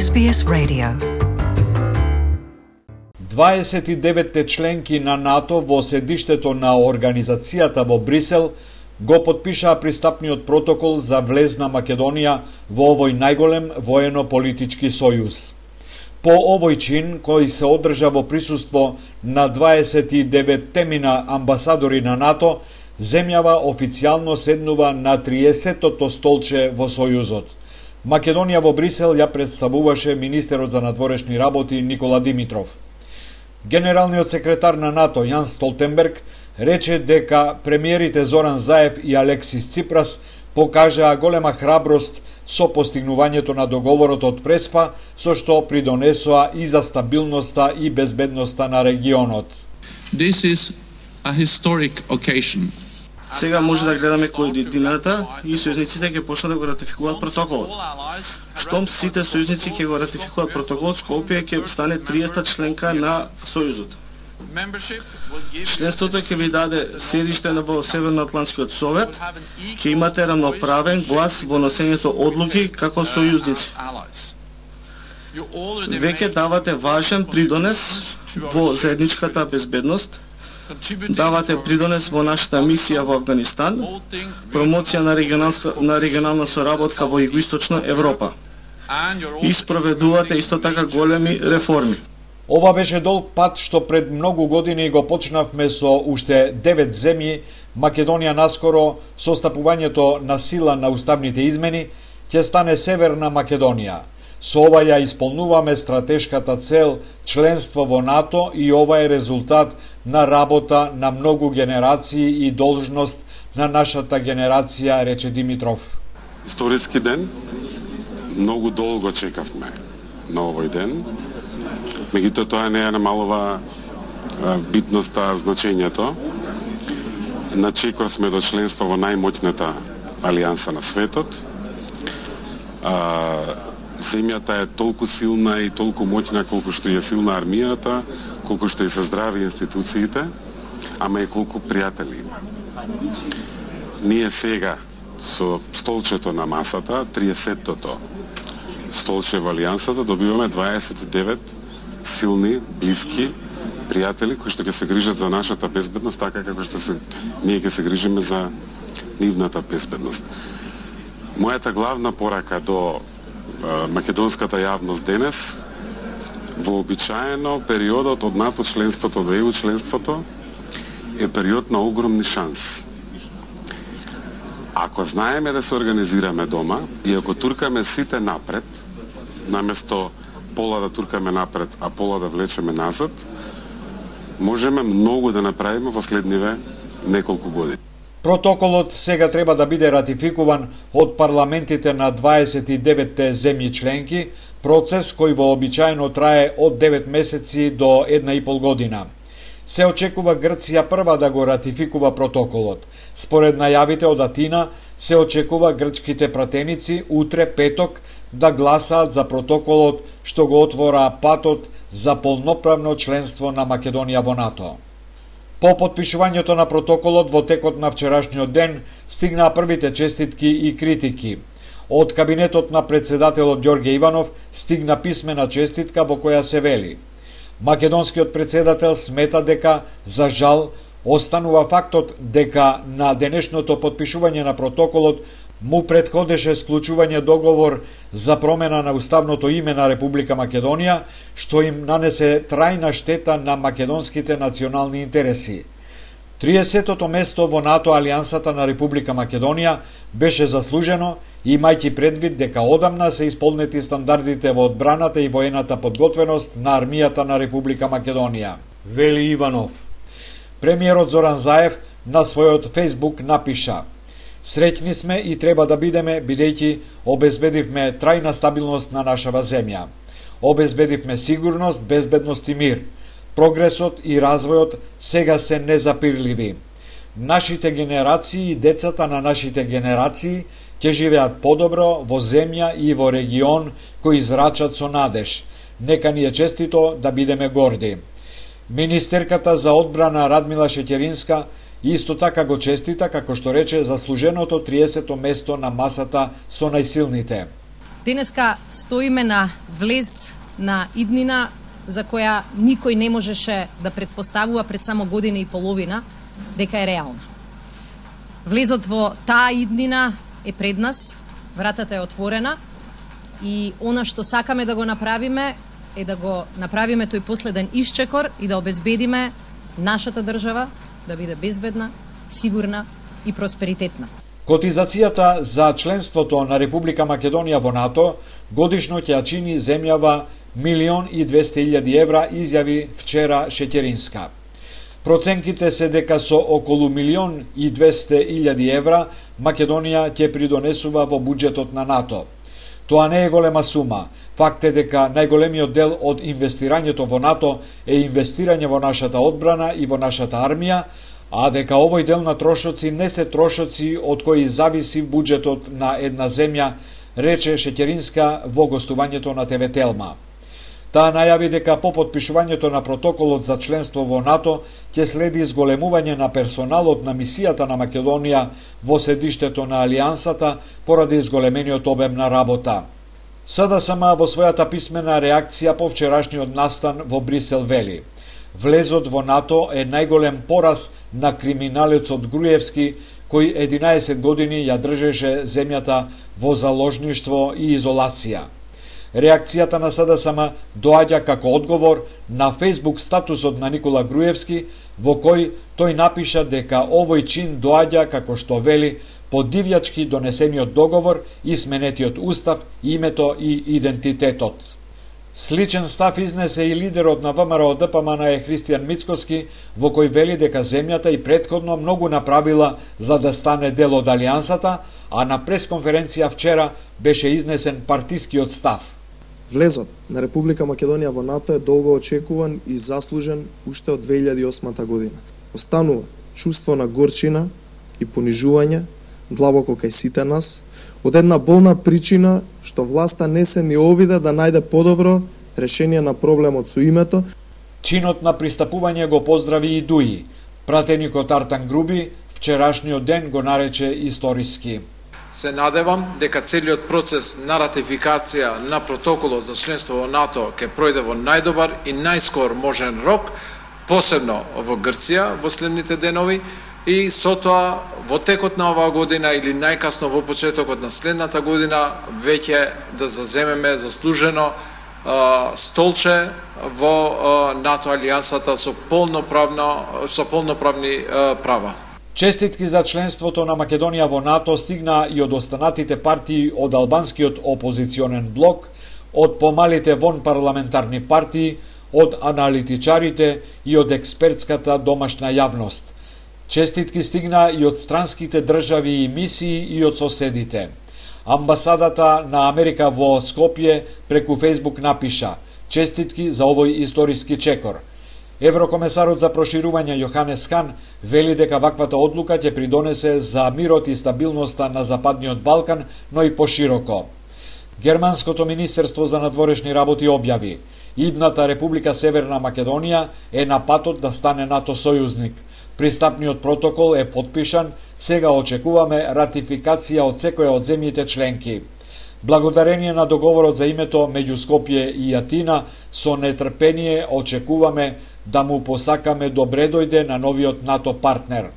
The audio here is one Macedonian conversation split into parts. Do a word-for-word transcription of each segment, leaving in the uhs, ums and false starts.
Ес Би Ес Radio. дваесет и деветте членки на НАТО во седиштето на организацијата во Брисел го потпишаа пристапниот протокол за влез на Македонија во овој најголем воено-политички сојуз. По овој чин, кој се одржа во присуство на дваесет и деветте амбасадори на НАТО, земјава официјално седнува на триесеттото столче во Сојузот. Македонија во Брисел ја представуваше министерот за надворешни работи Никола Димитров. Генералниот секретар на НАТО Јанс Столтенберг рече дека премиерите Зоран Заев и Алексис Ципрас покажаа голема храброст со постигнувањето на договорот од Преспа, со што придонесоа и за стабилноста и безбедноста на регионот. This is a historic occasion. Сега може да гледаме координата и сојузниците ќе почнат да го ратификуваат протоколот. Штом сите сојузници ќе го ратификуваат протоколот, Скопје ќе стане триесета членка на Сојузот. Членството ќе ви даде седиште на во Северноатлантскиот совет, ќе имате рамноправен глас во носењето одлуки како сојузници. Веќе давате важен придонес во заедничката безбедност, давате придонес во нашата мисија во Авганистан, промоција на регионална, на регионална соработка во Југоисточна Европа. И спроведувате исто така големи реформи. Ова беше долг пат што пред многу години го почнавме со уште девет земји. Македонија наскоро со стапувањето на сила на уставните измени ќе стане Северна Македонија. Со ова ја исполнуваме стратешката цел членство во НАТО и ова е резултат на работа на многу генерации и должност на нашата генерација, рече Димитров. Историски ден, многу долго чекавме на овој ден. Меѓутоа тоа не е намалува битноста, значењето. На чекор сме до членство во најмоќната алијанса на светот. Земјата е толку силна и толку моќна колку што е силна армијата, колку што и се здрави институциите, ама и колку пријатели има. Ние сега со столчето на масата, триесеттото столче во алијансата, добиваме дваесет и девет силни, блиски пријатели кои што ќе се грижат за нашата безбедност, така како што се ние ќе се грижиме за нивната безбедност. Мојата главна порака до македонската јавност денес, вообичаено периодот од НАТО членството до Е У членството е период на огромни шанси. Ако знаеме да се организираме дома и ако туркаме сите напред, наместо пола да туркаме напред, а пола да влечеме назад, можеме многу да направиме во следниве неколку години. Протоколот сега треба да биде ратификуван од парламентите на дваесет и деветте земји членки, процес кој вообичаено трае од девет месеци до една и пол година. Се очекува Грција прва да го ратификува протоколот. Според најавите од Атина, се очекува грчките пратеници утре петок да гласаат за протоколот што го отвора патот за полноправно членство на Македонија во НАТО. По потпишувањето на протоколот во текот на вчерашниот ден стигнаа првите честитки и критики. Од кабинетот на председателот Ѓорѓе Иванов стигна писмена честитка во која се вели: македонскиот председател смета дека, за жал, останува фактот дека на денешното потпишување на протоколот му претходеше склучување договор за промена на уставното име на Република Македонија, што им нанесе трајна штета на македонските национални интереси. триесеттото место во НАТО алијансата на Република Македонија беше заслужено, имајќи предвид дека одамна се исполнети стандардите во одбраната и воената подготвеност на армијата на Република Македонија, вели Иванов. Премиерот Зоран Заев на својот Фејсбук напиша: среќни сме и треба да бидеме, бидејќи обезбедивме трајна стабилност на нашава земја. Обезбедивме сигурност, безбедност и мир. Прогресот и развојот сега се незапирливи. Нашите генерации и децата на нашите генерации ќе живеат подобро во земја и во регион кои зрачат со надеж. Нека ни е честито да бидеме горди. Министерката за одбрана Радмила Шеќеринска исто така го честита, како што рече, заслуженото триесетто место на масата со најсилните. Денеска стоиме на влез на иднина за која никој не можеше да предпоставува пред само година и половина дека е реална. Влезот во таа иднина е пред нас, вратата е отворена и она што сакаме да го направиме е да го направиме тој последен исчекор и да обезбедиме нашата држава да биде безбедна, сигурна и просперитетна. Котизацијата за членството на Република Македонија во НАТО годишно ќе чини земјава милион и двесте илјади евра, изјави вчера Шеќеринска. Проценките се дека со околу милион и двесте илјади евра Македонија ќе придонесува во буџетот на НАТО. Тоа не е голема сума. Факт е дека најголемиот дел од инвестирањето во НАТО е инвестирање во нашата одбрана и во нашата армија, а дека овој дел на трошоци не се трошоци од кои зависи буџетот на една земја, рече Шеќеринска во гостувањето на ТВ Телма. Таа најави дека по потпишувањето на протоколот за членство во НАТО ќе следи зголемување на персоналот на мисијата на Македонија во седиштето на Алијансата поради зголемениот обем на работа. СДСМ во својата писмена реакција по вчерашниот настан во Брисел вели: влезот во НАТО е најголем пораз на криминалецот Груевски, кој единаесет години ја држеше земјата во заложништво и изолација. Реакцијата на СДСМ доаѓа како одговор на Facebook статусот на Никола Груевски, во кој тој напиша дека овој чин доаѓа, како што вели, по дивјачки донесениот договор и сменетиот устав, името и идентитетот. Сличен став изнесе и лидерот на ВМРО Д П М Н е Христијан Мицкоски, во кој вели дека земјата и претходно многу направила за да стане дел од Алијансата, а на пресконференција вчера беше изнесен партискиот став. Влезот на Република Македонија во НАТО е долго очекуван и заслужен уште од две илјади и осма година. Останува чувство на горчина и понижување длабоко кај сите нас, од една болна причина што власта не се ни обиде да најде подобро решение на проблемот со името. Чинот на пристапување го поздрави и Дуи. Пратеникот Артан Груби вчерашниот ден го нарече историски. Се надевам дека целиот процес на ратификација на протоколот за членство во НАТО ќе пројде во најдобар и најскор можен рок, посебно во Грција во следните денови, и со тоа во текот на оваа година или најкасно во почетокот на следната година веќе да заземеме заслужено а, столче во а, НАТО алијансата со полноправно со полноправни а, права. Честитки за членството на Македонија во НАТО стигна и од останатите партии од албанскиот опозиционен блок, од помалите вонпарламентарни партии, од аналитичарите и од експертската домашна јавност. Честитки стигна и од странските држави и мисии и од соседите. Амбасадата на Америка во Скопје преку Фејсбук напиша: честитки за овој историски чекор. Еврокомесарот за проширување Јоханес Хан вели дека ваквата одлука ќе придонесе за мирот и стабилноста на Западниот Балкан, но и пошироко. Германското министерство за надворешни работи објави: идната Република Северна Македонија е на патот да стане НАТО сојузник. Пристапниот протокол е потпишан, сега очекуваме ратификација од секоја од земјите членки. Благодарение на договорот за името меѓу Скопје и Атина, со нетрпение очекуваме да му посакаме добре дојде на новиот НАТО партнер.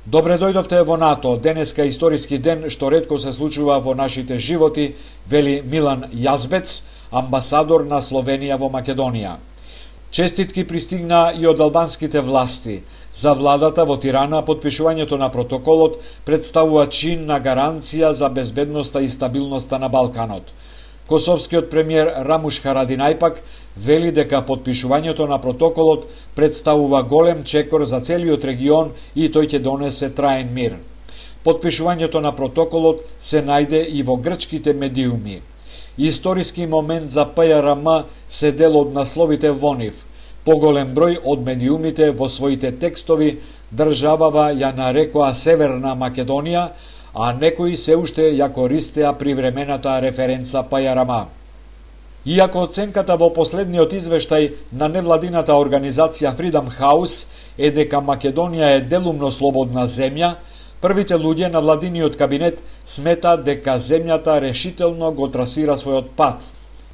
Добре дојдовте во НАТО, денеска историски ден што ретко се случува во нашите животи, вели Милан Јазбец, амбасадор на Словенија во Македонија. Честитки пристигна и од албанските власти. За владата во Тирана потпишувањето на протоколот представува чин на гаранција за безбедноста и стабилноста на Балканот. Косовскиот премиер Рамуш Харадинај пак вели дека потпишувањето на протоколот представува голем чекор за целиот регион и тој ќе донесе траен мир. Потпишувањето на протоколот се најде и во грчките медиуми. Историски момент за П Р М се дел од насловите во нив. Поголем број од медиумите во своите текстови државава ја нарекоа Северна Македонија, а некои се уште ја користеа привремената референца П Р М. Иако оценката во последниот извештај на невладината организација Freedom House е дека Македонија е делумно слободна земја, Првите луѓе на владиниот кабинет сметаат дека земјата решително го трасира својот пат.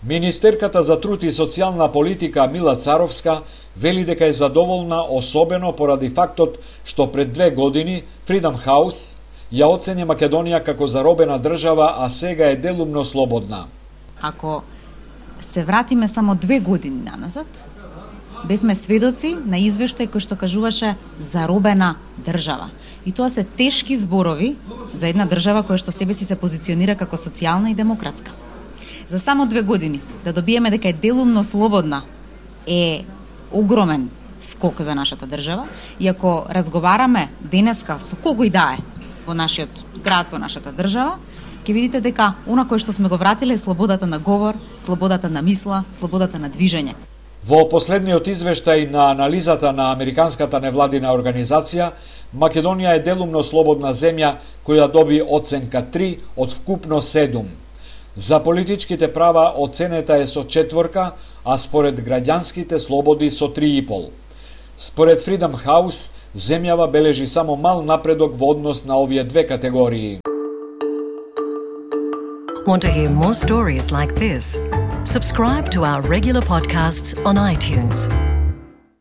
Министерката за труд и социјална политика Мила Царовска вели дека е задоволна особено поради фактот што пред две години Freedom House ја оцени Македонија како заробена држава, а сега е делумно слободна. Ако се вратиме само две години наназад, бевме сведоци на извештај кој што кажуваше заробена држава. И тоа се тешки зборови за една држава која што себе си се позиционира како социјална и демократска. За само две години да добиеме дека е делумно слободна е огромен скок за нашата држава. И ако разговараме денеска со кого и да е во нашиот град, во нашата држава, ќе видите дека она кое што сме го вратиле е слободата на говор, слободата на мисла, слободата на движење. Во последниот извештај на анализата на Американската невладина организација, Македонија е делумно слободна земја која доби оценка три од вкупно седум. За политичките права оценета е со четворка, а според граѓанските слободи со три и пол. Според Freedom House, земјава бележи само мал напредок во однос на овие две категории. Want to hear more stories like this? Subscribe to our regular podcasts on iTunes.